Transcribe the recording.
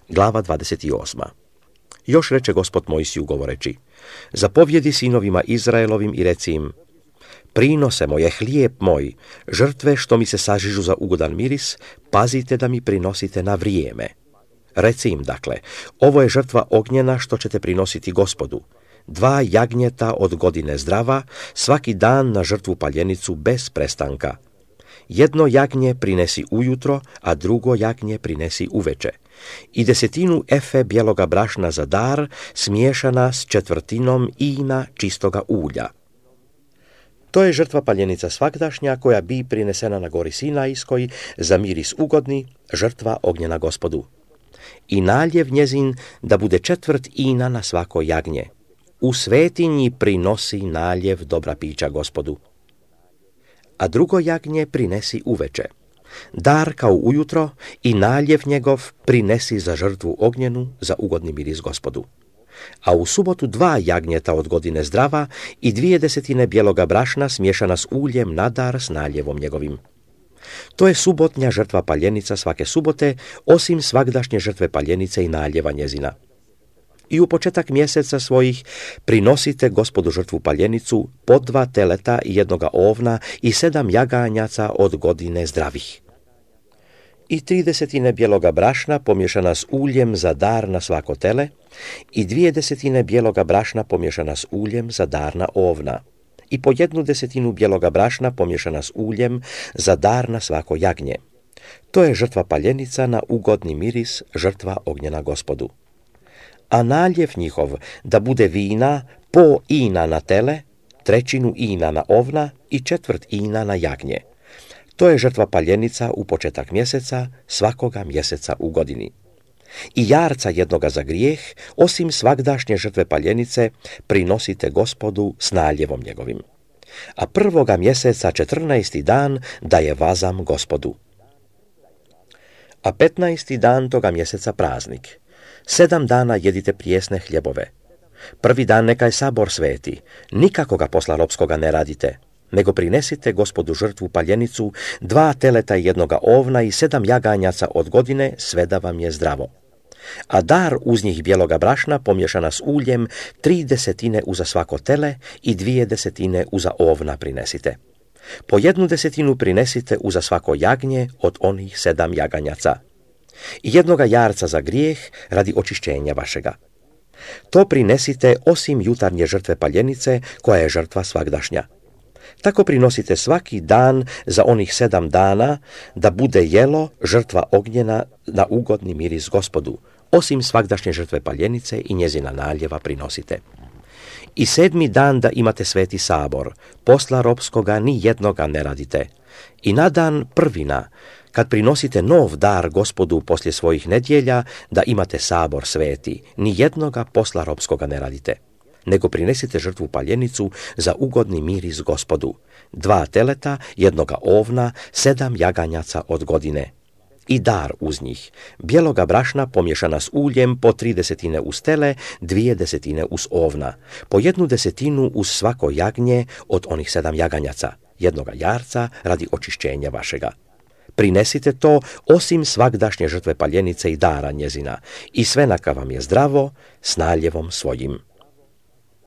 Glava 28. Još reče Gospod Mojsiju govoreći: zapovjedi sinovima Izraelovim i reci im: prinose moje, hlijeb moj, žrtve što mi se sažižu za ugodan miris, pazite da mi prinosite na vrijeme. Reci im dakle: ovo je žrtva ognjena što ćete prinositi Gospodu. 2 jagnjeta od godine zdrava, svaki dan na žrtvu paljenicu bez prestanka. 1 jagnje prinesi ujutro, a 2 jagnje prinesi uveče. I 10 efe bijeloga brašna za dar, smiješana s 1/4 ina čistoga ulja. To je žrtva paljenica svagdašnja koja bi prinesena na gori Sinajskoj za miris ugodni, žrtva ognjena Gospodu. I naljev njezin da bude 1/4 ina na svako jagnje. U svetinji prinosi naljev dobra pića Gospodu. A 2 jagnje prinesi uveče. Dar kao ujutro i naljev njegov prinesi za žrtvu ognjenu, za ugodni miris Gospodu. A u subotu 2 jagnjeta od godine zdrava i 2/10 bijeloga brašna smiješana s uljem na dar s naljevom njegovim. To je subotnja žrtva paljenica svake subote, osim svagdašnje žrtve paljenice i naljeva njezina. I u početak mjeseca svojih prinosite Gospodu žrtvu paljenicu, po 2 teleta i 1 ovna i 7 jaganjaca od godine zdravih. I 3/10 bijeloga brašna pomiješana s uljem za dar na svako tele i 2/10 bijeloga brašna pomiješana s uljem za dar na ovna i po 1/10 bijeloga brašna pomiješana s uljem za dar na svako jagnje. To je žrtva paljenica na ugodni miris, žrtva ognjena Gospodu. A naljev njihov da bude vina, po ina na tele, 1/3 ina na ovna i 1/4 ina na jagnje. To je žrtva paljenica u početak mjeseca, svakoga mjeseca u godini. I jarca jednoga za grijeh, osim svagdašnje žrtve paljenice, prinosite Gospodu s naljevom njegovim. A 1. mjeseca 14. dan da je vazam Gospodu. A 15. dan toga mjeseca praznik. 7 dana jedite prijesne hljebove. 1. dan neka je sabor sveti, nikakoga posla ropskoga ne radite, nego prinesite Gospodu žrtvu paljenicu, 2 teleta i 1 ovna i 7 jaganjaca od godine, sve da vam je zdravo. A dar uz njih bijeloga brašna pomiješana s uljem, 3/10 uza svako tele i 2/10 uza ovna prinesite. Po 1/10 prinesite uza svako jagnje od onih 7 jaganjaca. I 1 jarca za grijeh radi očišćenja vašega. To prinesite osim jutarnje žrtve paljenice, koja je žrtva svagdašnja. Tako prinosite svaki dan za onih 7 dana, da bude jelo žrtva ognjena na ugodni miris Gospodu, osim svagdašnje žrtve paljenice i njezina naljeva prinosite. I 7. dan da imate sveti sabor, posla ropskoga ni jednoga ne radite. I na dan prvina, kad prinosite nov dar Gospodu poslije svojih nedjelja, da imate sabor sveti, ni jednoga posla ropskoga ne radite, nego prinesite žrtvu paljenicu za ugodni miris Gospodu, 2 teleta, 1 ovna, 7 jaganjaca od godine. I dar uz njih, bijeloga brašna pomiješana s uljem, po 3/10 uz tele, 2/10 uz ovna, po 1/10 uz svako jagnje od onih 7 jaganjaca, 1 jarca radi očišćenja vašega. Prinesite to osim svagdašnje žrtve paljenice i dara njezina, i sve neka vam je zdravo s naljevom svojim.